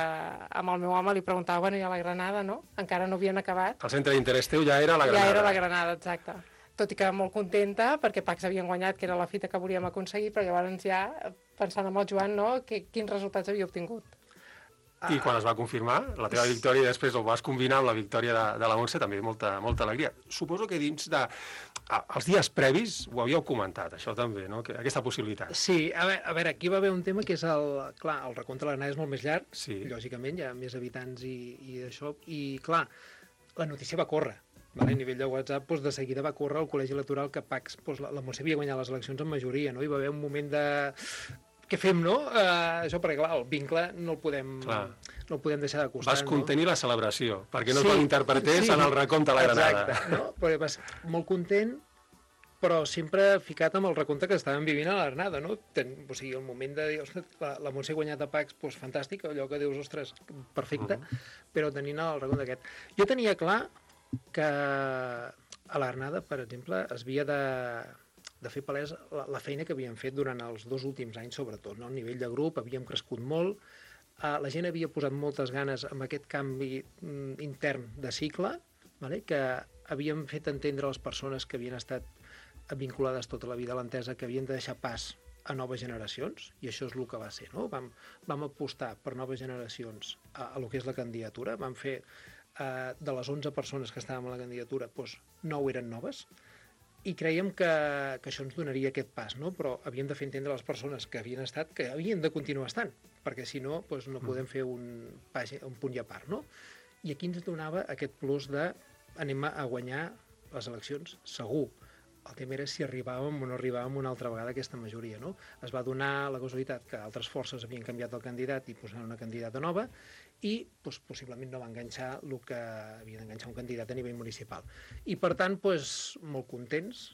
amb el meu home, li preguntava, bueno, ja la Granada, no? Encara no havien acabat. El centre d'interès teu ja era la Granada. Ja era la Granada, exacte. Tot i que molt contenta, perquè Pacs havien guanyat, que era la fita que volíem aconseguir, però llavors ja, pensant amb el Joan, no?, que, quins resultats havia obtingut. I quan es va confirmar la teva victòria i després ho vas combinar amb la victòria de, de la Montse, també molta, molta alegria. Suposo que dins de... Ah, els dies previs ho havíeu comentat, això també, no? Que, aquesta possibilitat. Sí, a veure, a veure, aquí va haver un tema que és el... Clar, el recompte de l'Arnada és molt més llarg, sí. Lògicament, hi ha més habitants i, i això, i clar, la notícia va córrer. Vale? A nivell de WhatsApp, doncs, de seguida va córrer al col·legi electoral que Pacs, doncs, la, la Montse havia guanyat les eleccions amb majoria, no? Hi va haver un moment de... Què fem, no? Uh, això perquè, clar, el vincle no el podem, clar. no el podem deixar de costar. Vas contenir no? la celebració, perquè no sí, es malinterpretés sí. en el recompte a la Granada. Exacte, no? Però vas molt content, però sempre ficat amb el recompte que estàvem vivint a l'Arnada, no? Ten, o sigui, el moment de dir, ostres, la, la Montse ha guanyat a Pacs, doncs fantàstic, allò que dius, ostres, perfecte, uh -huh. però tenint el recompte aquest. Jo tenia clar que a l'Arnada, per exemple, es havia de... de fer palès la, la feina que havíem fet durant els dos últims anys, sobretot. No? A nivell de grup havíem crescut molt, uh, la gent havia posat moltes ganes amb aquest canvi mm, intern de cicle, vale? Que havíem fet entendre a les persones que havien estat vinculades tota la vida a l'Entesa que havien de deixar pas a noves generacions, i això és el que va ser. No? Vam, vam apostar per noves generacions a, a lo que és la candidatura, vam fer uh, de les onze persones que estàvem a la candidatura, doncs nou eren noves, i creiem que, que això ens donaria aquest pas, no? Però havíem de fer entendre a les persones que havien estat que havien de continuar estant, perquè si no, doncs no podem fer un, un punt i a part, no? I aquí ens donava aquest plus de anem a guanyar les eleccions, segur. El tema era si arribàvem o no arribàvem una altra vegada a aquesta majoria, no? Es va donar la casualitat que altres forces havien canviat el candidat i posaven una candidata nova, i doncs, possiblement no va enganxar el que havia d'enganxar un candidat a nivell municipal. I per tant, doncs, molt contents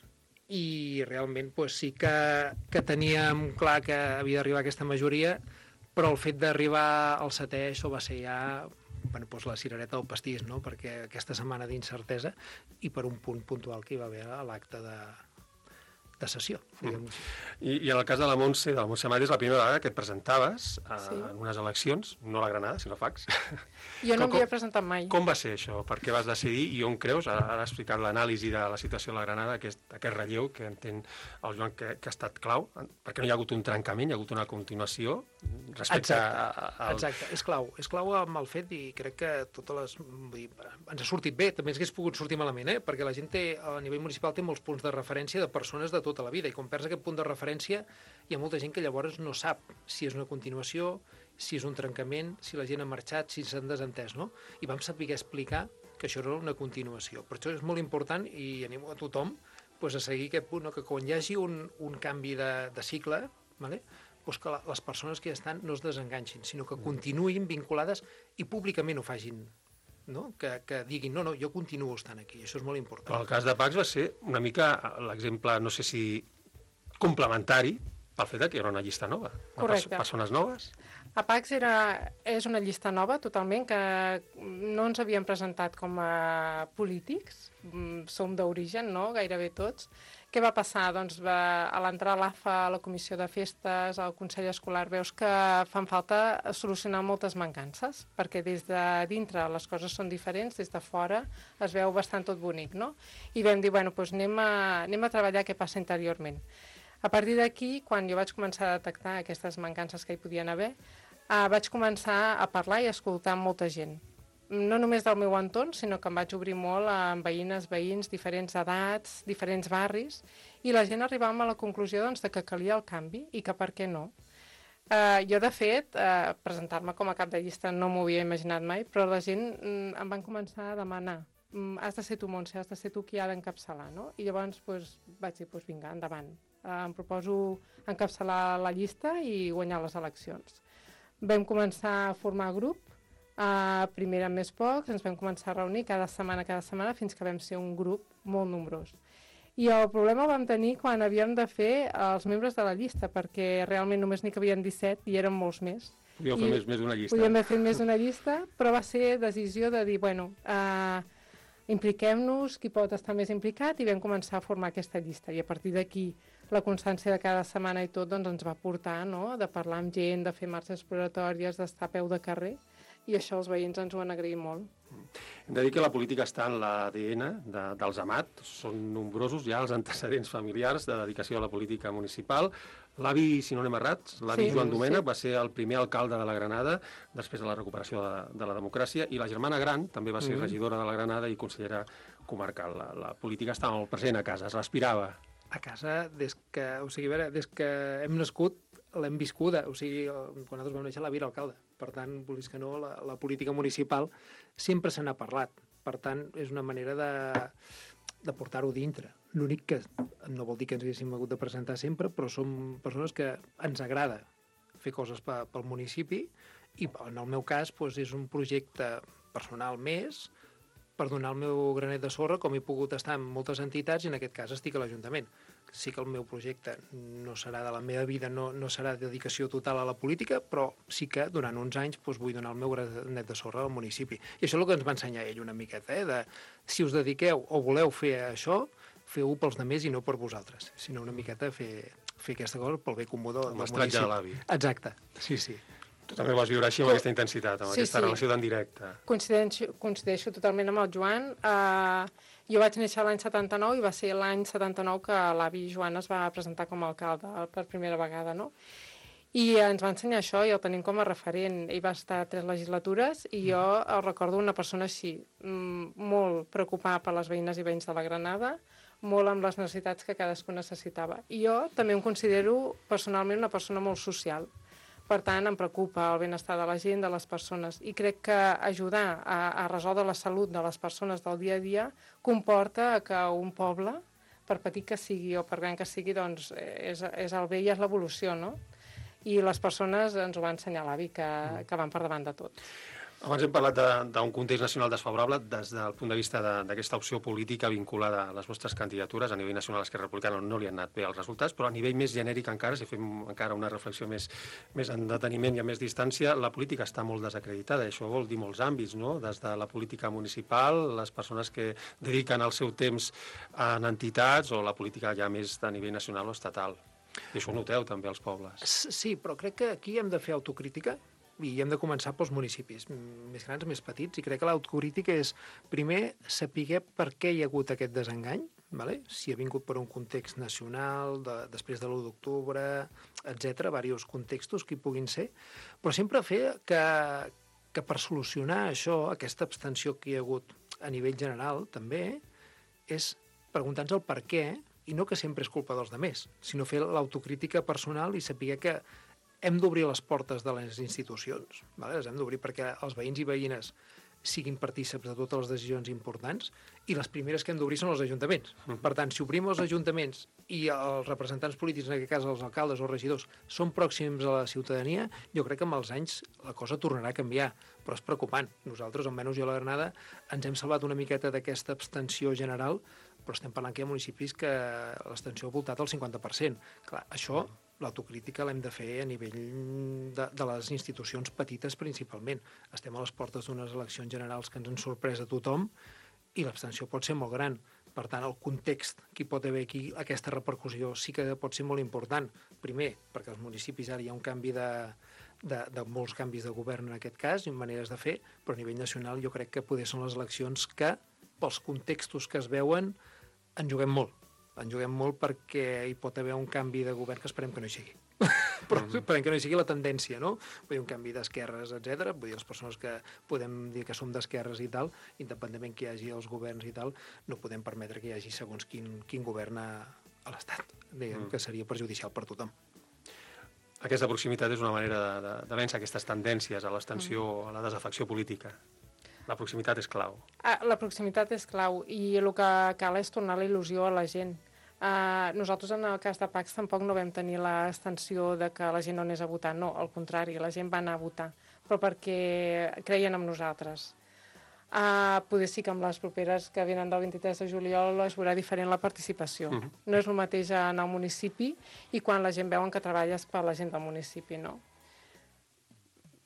i realment pues, sí que, que teníem clar que havia d'arribar aquesta majoria, però el fet d'arribar al setè, això va ser ja bueno, pues la cirereta del pastís, no? Perquè aquesta setmana d'incertesa i per un punt puntual que hi va haver a l'acte de, de sessió. Mm. I, I en el cas de la Montse, de la Montse Amat, és la primera vegada que et presentaves a, Sí. en unes eleccions, no a la Granada, sinó a Fax. Jo no Com- m'havia presentat mai. Com va ser això? Per què vas decidir i on creus? Ara, ara has explicat l'anàlisi de la situació de la Granada, aquest, aquest relleu que entén el Joan que, que ha estat clau, perquè no hi ha hagut un trencament, hi ha hagut una continuació respecte Exacte, a, a, al... exacte. És clau. És clau amb el fet i crec que totes les... Vull dir, ens ha sortit bé, també ens hagués pogut sortir malament, eh? Perquè la gent té, a nivell municipal té molts punts de referència de persones de tota la vida i quan perds aquest punt de referència hi ha molta gent que llavors no sap si és una continuació, si és un trencament, si la gent ha marxat, si s'han desentès, no? I vam saber explicar que això era una continuació. Per això és molt important i animo a tothom pues, a seguir aquest punt, no? Que quan hi hagi un, un canvi de, de cicle, vale? Pues que la, les persones que ja estan no es desenganxin, sinó que continuïn vinculades i públicament ho facin, no? Que, que diguin, no, no, jo continuo estant aquí, això és molt important. Però el cas de Pax va ser una mica l'exemple, no sé si complementari, pel fet que era una llista nova. Correcte. Perso persones noves. A Pax era, és una llista nova totalment, que no ens havíem presentat com a polítics, som d'origen, no?, gairebé tots. Què va passar? Doncs va, a l'entrar a l'A F A, a la comissió de festes, al Consell Escolar, veus que fan falta solucionar moltes mancances, perquè des de dintre les coses són diferents, des de fora es veu bastant tot bonic, no? I vam dir, bueno, doncs anem a, anem a treballar què passa interiorment. A partir d'aquí, quan jo vaig començar a detectar aquestes mancances que hi podien haver, eh, vaig començar a parlar i a escoltar molta gent. No només del meu entorn, sinó que em vaig obrir molt amb veïnes, veïns, diferents edats, diferents barris, i la gent arribàvem a la conclusió doncs, de que calia el canvi i que per què no. Eh, jo, de fet, eh, presentar-me com a cap de llista no m'ho havia imaginat mai, però la gent mm, em van començar a demanar mm, has de ser tu, Montse, has de ser tu qui ha d'encapçalar, no? I llavors pues, vaig dir, pues, vinga, endavant. Eh, em proposo encapçalar la llista i guanyar les eleccions. Vam començar a formar grup, Uh, primer eren més pocs, ens vam començar a reunir cada setmana, cada setmana, fins que vam ser un grup molt nombrós. I el problema el vam tenir quan havíem de fer els membres de la llista, perquè realment només n'hi cabien disset i eren molts més. Podíeu fer més, més d'una llista. Podíem haver fet més d'una llista, però va ser decisió de dir, bueno, uh, impliquem-nos, qui pot estar més implicat, i vam començar a formar aquesta llista. I a partir d'aquí, la constància de cada setmana i tot doncs, ens va portar, no?, de parlar amb gent, de fer marxes exploratòries, d'estar a peu de carrer, i això els veïns ens ho han agraït molt. Hem de dir que la política està en l'A D N de, dels Amat. Són nombrosos ja els antecedents familiars de dedicació a la política municipal. L'avi, si no anem errats, l'avi Sí, Joan Domènech sí. va ser el primer alcalde de la Granada després de la recuperació de, de la democràcia, i la germana gran també va ser Mhm. regidora de la Granada i consellera comarcal. La, la política estava molt present a casa, es respirava. A casa, des que, o sigui, a veure, des que hem nascut, l'hem viscuda. O sigui, el- quan nosaltres vam néixer, l'avi era alcalde. Per tant, vulguis que no, la, la política municipal sempre se n'ha parlat. Per tant, és una manera de, de portar-ho dintre. L'únic que no vol dir que ens haguéssim hagut de presentar sempre, però som persones que ens agrada fer coses pe, pel municipi, i en el meu cas doncs, és un projecte personal més per donar el meu granet de sorra, com he pogut estar en moltes entitats, i en aquest cas estic a l'Ajuntament. Sí que el meu projecte no serà de la meva vida, no, no serà dedicació total a la política, però sí que durant uns anys doncs, vull donar el meu granet de sorra al municipi. I això és el que ens va ensenyar ell una miqueta, eh? De, si us dediqueu o voleu fer això, feu-ho pels demés i no per vosaltres, sinó una miqueta fer, fer aquesta cosa pel bé comú del, del mestratge municipi. de l'avi. Exacte, sí, sí. Tu també ho vas viure així amb aquesta intensitat, amb Sí, aquesta sí. relació tan directa. Coincideixo, coincideixo totalment amb el Joan. Uh, jo vaig néixer l'any setanta-nou i va ser l'any setanta-nou que l'avi Joan es va presentar com a alcalde per primera vegada, no? I ens va ensenyar això i el tenim com a referent. Ell va estar tres legislatures i jo el recordo una persona així, mm, molt preocupada per les veïnes i veïns de la Granada, molt amb les necessitats que cadascú necessitava. I jo també em considero personalment una persona molt social. Per tant, em preocupa el benestar de la gent, de les persones, i crec que ajudar a, a resoldre la salut de les persones del dia a dia comporta que un poble, per petit que sigui o per gran que sigui, doncs és, és el bé i és l'evolució, no? I les persones ens ho va ensenyar l'avi, que, que van per davant de tot. Abans hem parlat d'un context nacional desfavorable des del punt de vista d'aquesta opció política vinculada a les vostres candidatures. A nivell nacional, Esquerra Republicana no li han anat bé els resultats, però a nivell més genèric encara, si fem encara una reflexió més, més en deteniment i a més distància, la política està molt desacreditada. Això vol dir molts àmbits, no? Des de la política municipal, les persones que dediquen el seu temps en entitats, o la política ja més de nivell nacional o estatal. I això ho noteu també als pobles. Sí, però crec que aquí hem de fer autocrítica i hem de començar pels municipis més grans, més petits, i crec que l'autocrítica és, primer, saber per què hi ha hagut aquest desengany, vale? Si ha vingut per un context nacional, de, després de l'u d'octubre, etcètera, diversos contextos que hi puguin ser, però sempre fer que, que per solucionar això, aquesta abstenció que hi ha hagut a nivell general, també, és preguntar-nos el per què, i no que sempre és culpa dels altres, sinó fer l'autocrítica personal i saber que hem d'obrir les portes de les institucions, vale? Les hem d'obrir perquè els veïns i veïnes siguin partícips de totes les decisions importants, i les primeres que hem d'obrir són els ajuntaments. Per tant, si obrim els ajuntaments i els representants polítics, en aquest cas els alcaldes o regidors, són pròxims a la ciutadania, jo crec que amb els anys la cosa tornarà a canviar, però és preocupant. Nosaltres, almenys jo a la Granada, ens hem salvat una miqueta d'aquesta abstenció general, però estem parlant que hi ha municipis que l'abstenció ha voltat al cinquanta per cent. Clar, això, l'autocrítica l'hem de fer a nivell de, de les institucions petites principalment. Estem a les portes d'unes eleccions generals que ens han sorprès a tothom i l'abstenció pot ser molt gran. Per tant, el context que hi pot haver aquí, aquesta repercussió, sí que pot ser molt important. Primer, perquè als municipis ara hi ha un canvi de, de, de molts canvis de govern en aquest cas, i maneres de fer, però a nivell nacional jo crec que poder són les eleccions que, pels contextos que es veuen, en juguem molt. En juguem molt perquè hi pot haver un canvi de govern que esperem que no hi sigui. Però esperem que no hi sigui la tendència, no? Vull dir, un canvi d'esquerres, etcètera. Vull dir, les persones que podem dir que som d'esquerres i tal, independentment que hi hagi els governs i tal, no podem permetre que hi hagi segons quin, quin govern a, a l'Estat, diguem, mm. que seria perjudicial per tothom. Aquesta proximitat és una manera de, de, de vèncer aquestes tendències a l'abstenció, mm. a la desafecció política. La proximitat és clau. Ah, la proximitat és clau i el que cal és tornar la il·lusió a la gent. Uh, nosaltres en el cas de Pacs tampoc no vam tenir l'extensió de que la gent no anés a votar, no, al contrari, la gent va anar a votar, però perquè creien en nosaltres. Uh, poder sí que amb les properes que venen del vint-i-tres de juliol es veurà diferent la participació. Uh -huh. No és el mateix en el municipi i quan la gent veuen que treballes per la gent del municipi, no?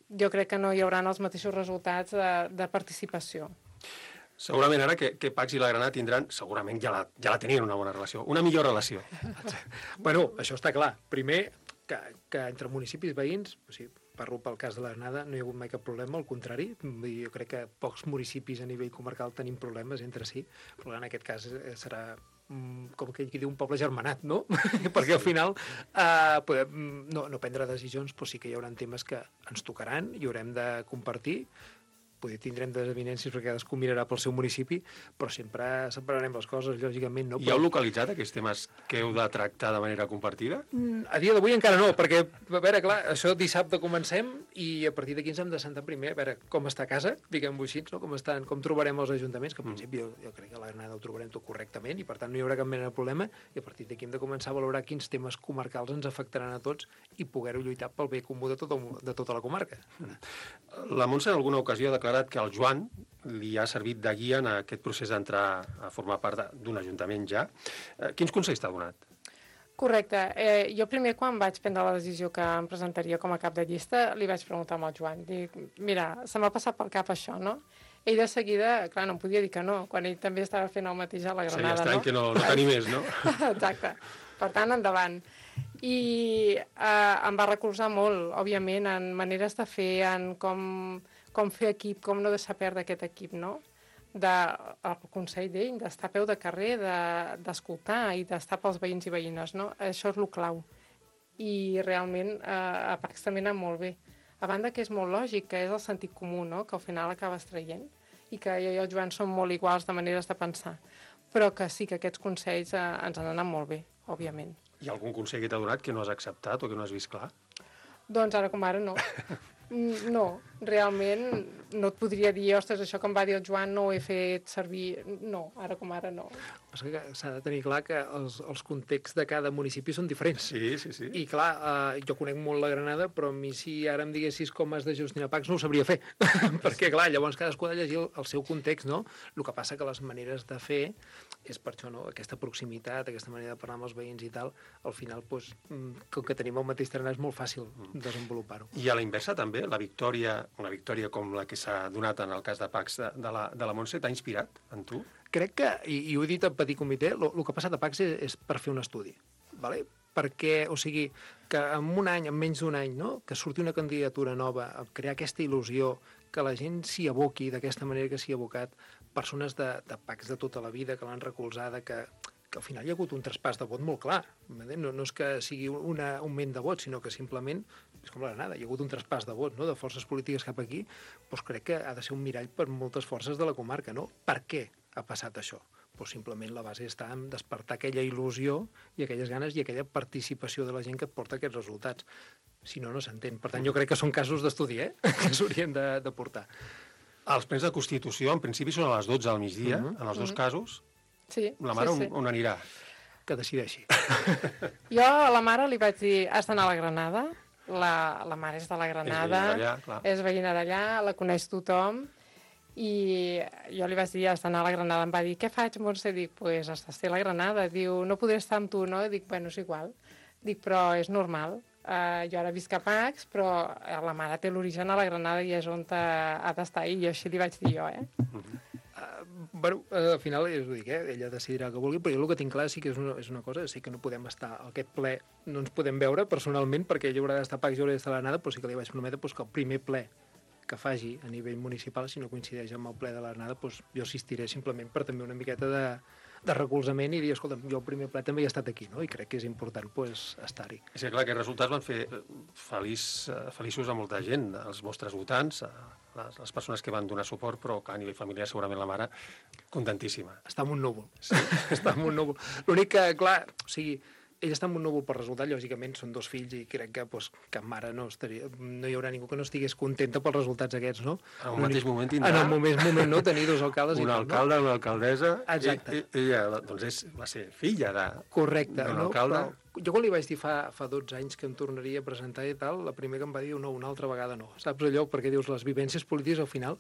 Jo crec que no hi haurà els mateixos resultats de, de participació. Segurament ara que, que Pacs i la Granada tindran, segurament ja la, ja la tenien una bona relació, una millor relació. Bueno, això està clar. Primer, que, que entre municipis veïns, o sigui, parlo pel cas de la Granada, no hi ha hagut mai cap problema, al contrari. Jo crec que pocs municipis a nivell comarcal tenim problemes entre si, però en aquest cas serà com que diu un poble germanat, no? Perquè al final eh, podem no, no prendre decisions, però sí que hi haurà temes que ens tocaran i haurem de compartir. Poder tindrem desavinències perquè cadascú mirarà pel seu municipi, però sempre separarem les coses, lògicament. No? I heu localitzat aquests temes que heu de tractar de manera compartida? A dia d'avui encara no, perquè, a veure, clar, això dissabte comencem i a partir d'aquí ens hem de sentar primer a veure com està a casa, diguem-ho així, no? com, estan, com trobarem els ajuntaments, que al principi jo, jo crec que a la Granada ho trobarem tot correctament i per tant no hi haurà cap mena de problema, i a partir d'aquí hem de començar a valorar quins temes comarcals ens afectaran a tots i poder-ho lluitar pel bé comú de, tot el, de tota la comarca. La Montse en alguna ocasió ha declarat que el Joan li ha servit de guia en aquest procés d'entrar a formar part d'un ajuntament ja. Quins consells t'ha donat? Correcte. Eh, jo primer, quan vaig prendre la decisió que em presentaria com a cap de llista, li vaig preguntar al Joan. Dic, mira, se m'ha passat pel cap això, no? Ell de seguida, clar, no em podia dir que no, quan ell també estava fent el mateix a la Granada, no? Seria estrany que no, no t'animés, no? Exacte. Per tant, endavant. I eh, em va recolzar molt, òbviament, en maneres de fer, en com... com fer equip, com no deixar perdre aquest equip, no? De, el consell d'ell, d'estar a peu de carrer, d'escoltar de, i d'estar pels veïns i veïnes, no? Això és el clau. I realment eh, a Pacs també anat molt bé. A banda que és molt lògic, que és el sentit comú, no? Que al final acabes traient, i que jo i el Joan som molt iguals de maneres de pensar. Però que sí que aquests consells eh, ens han anat molt bé, òbviament. Hi ha algun consell que t'ha donat que no has acceptat o que no has vist clar? Doncs ara com ara no. No, realment no et podria dir, ostres, això que em va dir el Joan no ho he fet servir. No, ara com ara no. S'ha de tenir clar que els, els contexts de cada municipi són diferents. Sí, sí, sí. I clar, eh, jo conec molt la Granada, però a mi si ara em diguessis com has de gestionar Pacs no ho sabria fer. Perquè clar, llavors cadascú ha de llegir el, el seu context, no? El que passa que les maneres de fer és per això, no? Aquesta proximitat, aquesta manera de parlar amb els veïns i tal, al final, doncs, com que tenim el mateix terreny, és molt fàcil desenvolupar-ho. I a la inversa també, la victòria, una victòria com la que s'ha donat en el cas de Pacs de, de, la, de la Montse, t'ha inspirat en tu? Crec que, i, i ho he dit a petit comitè, el que ha passat a Pacs és, és per fer un estudi, ¿vale? Perquè, o sigui, que en un any, en menys d'un any, no? Que surti una candidatura nova, a crear aquesta il·lusió, que la gent s'hi aboqui d'aquesta manera que s'hi ha abocat, persones de, de Pacs de tota la vida, que l'han recolzada, que, que al final hi ha hagut un traspàs de vot molt clar. No, no és que sigui un augment de vot, sinó que simplement, és com la Granada, hi ha hagut un traspàs de vot, no? De forces polítiques cap aquí, doncs crec que ha de ser un mirall per moltes forces de la comarca, no? Per què ha passat això? Doncs simplement la base està en despertar aquella il·lusió i aquelles ganes i aquella participació de la gent que et porta aquests resultats. Si no, no s'entén. Per tant, jo crec que són casos d'estudi, eh? Que s'haurien de, de portar. Els plens de Constitució, en principi, són a les dotze del migdia, uh -huh. en els dos uh -huh. casos. Sí, la mare sí, sí. On, on anirà? Que decideixi. Jo a la mare li vaig dir, has d'anar a la Granada. La, la mare és de la Granada, és veïna d'allà, és veïna d'allà, la coneix tothom, i jo li vaig dir, has d'anar a la Granada. Em va dir, què faig, Montse? Dic, pues has d'estar a la Granada. Diu, no podré estar amb tu, no? Dic, bueno, és igual. Dic, però és normal. Uh, jo ara visc a Pacs, però la mare té l'origen a la Granada i és on ha d'estar. I jo així li vaig dir jo, eh? Uh, bueno, uh, al final, és ho dic, eh? Ella decidirà el que vulgui, però jo el que tinc clar sí que és una, és una cosa, sí que no podem estar, aquest ple no ens podem veure personalment, perquè ella haurà d'estar a Pacs i haurà d'estar a la Granada, però sí que li vaig prometre doncs, que el primer ple que faci a nivell municipal, si no coincideix amb el ple de la Granada, doncs jo assistiré simplement per també una miqueta de, de recolzament i dir, escolta, jo el primer ple també he estat aquí, no? I crec que és important doncs, estar-hi. És que clar, aquests resultats van fer feliç, feliços a molta gent, els vostres votants, les, les persones que van donar suport, però que a nivell familiar segurament la mare contentíssima. Està en un núvol, sí, està en un núvol. L'únic que, clar, o sigui, ella està en un núvol per resultat, lògicament són dos fills i crec que pues, cap mare no estaria, no hi haurà ningú que no estigués contenta pels resultats aquests, no? En el mateix moment tindrà... En el mateix moment, no? Tenir dos alcaldes un i tot, alcalde, no? Una alcaldessa... Exacte. I, i, ella, doncs, és, va ser filla de... Correcte, d'un no? alcalde. Però jo quan li vaig dir fa, fa dotze anys que em tornaria a presentar i tal, la primera que em va dir, no, una altra vegada no. Saps allò? Perquè dius, les vivències polítiques, al final,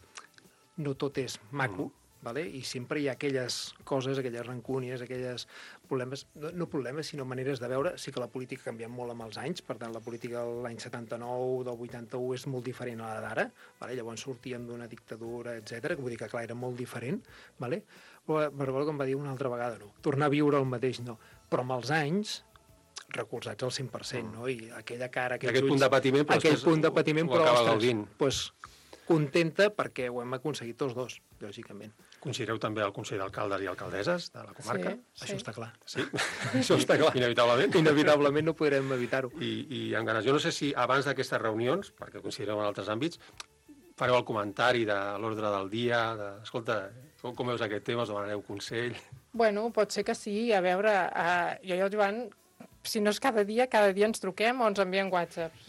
no tot és maco, mm. Vale? I sempre hi ha aquelles coses, aquelles rancúnies, aquelles problemes, no, no problemes, sinó maneres de veure. Sí que la política ha canviat molt amb els anys, per tant, la política de l'any setanta-nou, del vuitanta-u, és molt diferent a la d'ara. Vale? Llavors sortíem d'una dictadura, etcètera, que vull dir que, clar, era molt diferent. Vale? Però Barbol que em va dir una altra vegada, no. Tornar a viure el mateix, no. Però amb els anys, recolzats al cent per cent, no? I aquella cara, aquells aquell ulls, punt de patiment, però aquell punt de patiment, però, ostres, pues, contenta perquè ho hem aconseguit tots dos, lògicament. Considereu també el Consell d'Alcaldes i Alcaldesses de la comarca? Sí, això sí. Està clar. Sí? Això està clar. Inevitablement? Inevitablement no podrem evitar-ho. I, I amb ganes. Jo no sé si abans d'aquestes reunions, perquè considereu en altres àmbits, fareu el comentari de l'ordre del dia, de, escolta, com, com veus aquest tema, us demanareu consell? Bueno, pot ser que sí. A veure, uh, jo i el Joan, si no és cada dia, cada dia ens truquem o ens enviem whatsapps.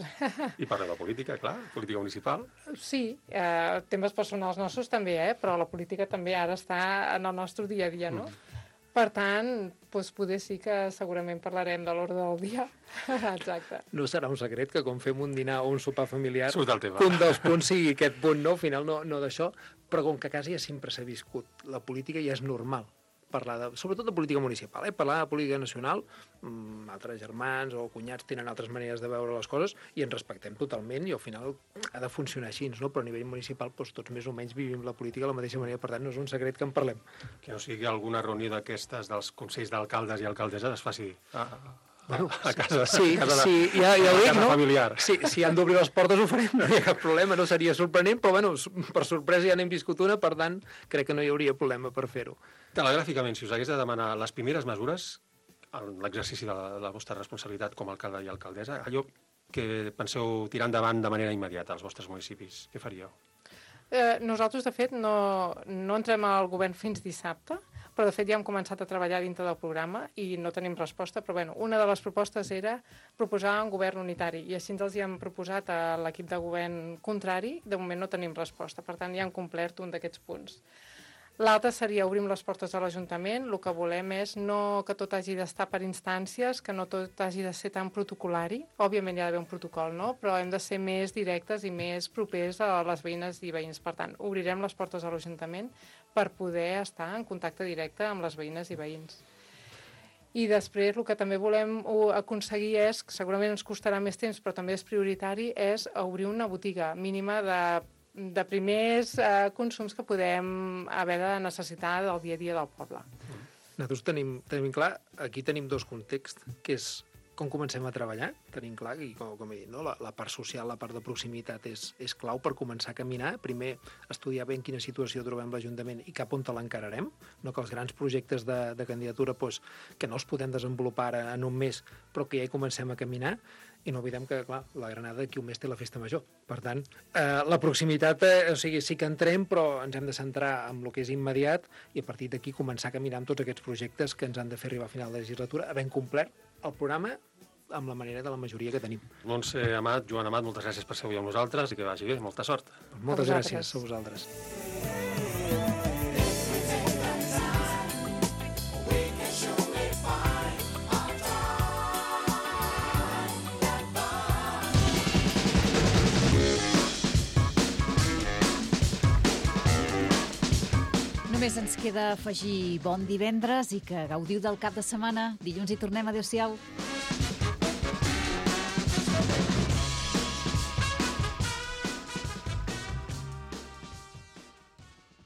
I parleu de política, clar, política municipal. Sí, eh, temes personals nostres també, eh? Però la política també ara està en el nostre dia a dia, no? Mm. Per tant, doncs poder sí que segurament parlarem de l'ordre del dia. Exacte. No serà un secret que quan fem un dinar o un sopar familiar, surt el tema. Un dels punts sigui aquest punt, no? Al final no, no d'això, però com que a casa ja sempre s'ha viscut, la política ja és normal. Parlar de, sobretot de política municipal, eh? Parlar de política nacional, mmm, altres germans o cunyats tenen altres maneres de veure les coses i ens respectem totalment i al final ha de funcionar així, no? Però a nivell municipal doncs, tots més o menys vivim la política de la mateixa manera, per tant no és un secret que en parlem. Que no sigui alguna reunió d'aquestes dels consells d'alcaldes i alcaldesses es faci a, a, bueno, a casa, sí, a casa, sí, ja, ja ho dic, no? Familiar. Sí, si han d'obrir les portes ho farem, no hi ha cap problema, no seria sorprenent, però bueno, per sorpresa ja n'hem viscut una, per tant crec que no hi hauria problema per fer-ho. Telegràficament, si us hagués de demanar les primeres mesures en l'exercici de la, la vostra responsabilitat com a alcalde i alcaldessa, allò que penseu tirar endavant de manera immediata als vostres municipis, què faríeu? Eh, nosaltres, de fet, no, no entrem al govern fins dissabte, però de fet ja hem començat a treballar dintre del programa i no tenim resposta, però bueno, una de les propostes era proposar un govern unitari i així ens els hi hem proposat a l'equip de govern contrari, de moment no tenim resposta, per tant ja hem complert un d'aquests punts. L'altre seria obrim les portes de l'Ajuntament. El que volem és no que tot hagi d'estar per instàncies, que no tot hagi de ser tan protocolari. Òbviament hi ha d'haver un protocol, no? Però hem de ser més directes i més propers a les veïnes i veïns. Per tant, obrirem les portes de l'Ajuntament per poder estar en contacte directe amb les veïnes i veïns. I després el que també volem aconseguir és, que segurament ens costarà més temps, però també és prioritari, és obrir una botiga mínima de de primers eh, consums que podem haver de necessitar del dia a dia del poble. Nosaltres tenim, tenim clar, aquí tenim dos contexts, que és com comencem a treballar, tenim clar, i com, com he dit, no? la, la part social, la part de proximitat és, és clau per començar a caminar. Primer, estudiar bé en quina situació trobem l'Ajuntament i cap on te l'encararem, no que els grans projectes de, de candidatura pues, que no els podem desenvolupar en un mes, però que ja hi comencem a caminar. I no oblidem que, clar, la Granada d'aquí un mes té la festa major. Per tant, eh, la proximitat, eh, o sigui, sí que entrem, però ens hem de centrar en el que és immediat i a partir d'aquí començar a caminar amb tots aquests projectes que ens han de fer arribar a final de legislatura, havent complert el programa amb la manera de la majoria que tenim. Montse Amat, Joan Amat, moltes gràcies per ser avui amb nosaltres i que vagi bé, molta sort. Moltes gràcies a vosaltres. Només ens queda afegir bon divendres i que gaudiu del cap de setmana. Dilluns hi tornem. Adéu-siau.